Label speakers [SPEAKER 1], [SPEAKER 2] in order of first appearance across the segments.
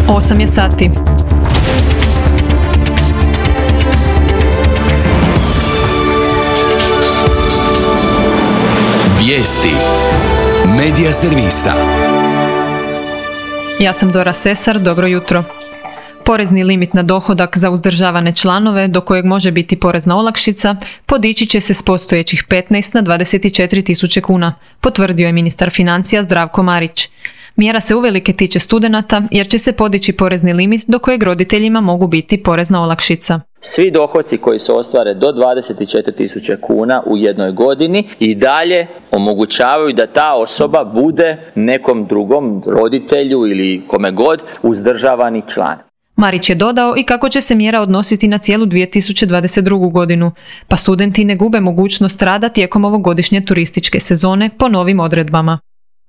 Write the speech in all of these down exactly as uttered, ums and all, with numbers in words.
[SPEAKER 1] osam je sati.
[SPEAKER 2] Vijesti Medija servisa.
[SPEAKER 1] Ja sam Dora Sesar, dobro jutro. Porezni limit na dohodak za uzdržavane članove, do kojeg može biti porezna olakšica, podići će se s postojećih petnaest na dvadeset četiri tisuće kuna, potvrdio je ministar financija Zdravko Marić. Mjera se uvelike tiče studenata jer će se podići porezni limit do kojeg roditeljima mogu biti porezna olakšica.
[SPEAKER 3] Svi dohoci koji se ostvare do dvadeset četiri tisuće kuna u jednoj godini i dalje omogućavaju da ta osoba bude nekom drugom roditelju ili kome god uzdržavani član.
[SPEAKER 1] Marić je dodao i kako će se mjera odnositi na cijelu dvije tisuće dvadeset drugu. godinu, pa studenti ne gube mogućnost rada tijekom ovogodišnje turističke sezone po novim odredbama.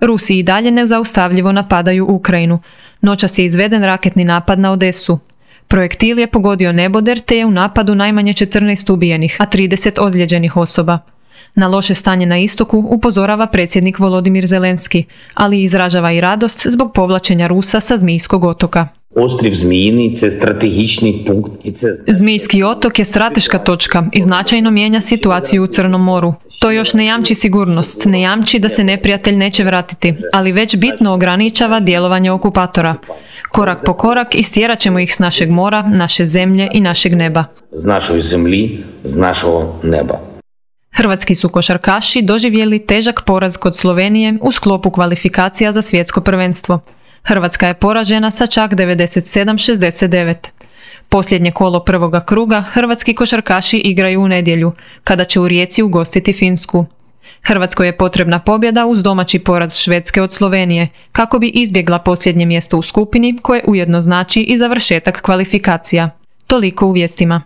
[SPEAKER 1] Rusi i dalje nezaustavljivo napadaju Ukrajinu. Noćas je izveden raketni napad na Odesu. Projektil je pogodio neboder te je u napadu najmanje četrnaest ubijenih, a trideset ozlijeđenih osoba. Na loše stanje na istoku upozorava predsjednik Volodimir Zelenski, ali izražava i radost zbog povlačenja Rusa sa Zmijskog otoka.
[SPEAKER 4] Острів Зміїний – це стратегічний пункт. І це...
[SPEAKER 1] Zmijski otok je strateška točka i značajno mijenja situaciju u Crnom moru. To još ne jamči sigurnost, ne jamči da se neprijatelj neće vratiti, ali već bitno ograničava djelovanje okupatora. Korak po korak istjerat ćemo ih s našeg mora, naše zemlje i našeg neba.
[SPEAKER 4] З нашої землі, з нашого неба.
[SPEAKER 1] Hrvatski su košarkaši doživjeli težak poraz kod Slovenije u sklopu kvalifikacija za svjetsko prvenstvo. Hrvatska je poražena sa čak devedeset sedam šezdeset devet. Posljednje kolo prvoga kruga hrvatski košarkaši igraju u nedjelju, kada će u Rijeci ugostiti Finsku. Hrvatskoj je potrebna pobjeda uz domaći poraz Švedske od Slovenije, kako bi izbjegla posljednje mjesto u skupini, koje ujedno znači i završetak kvalifikacija. Toliko u vijestima.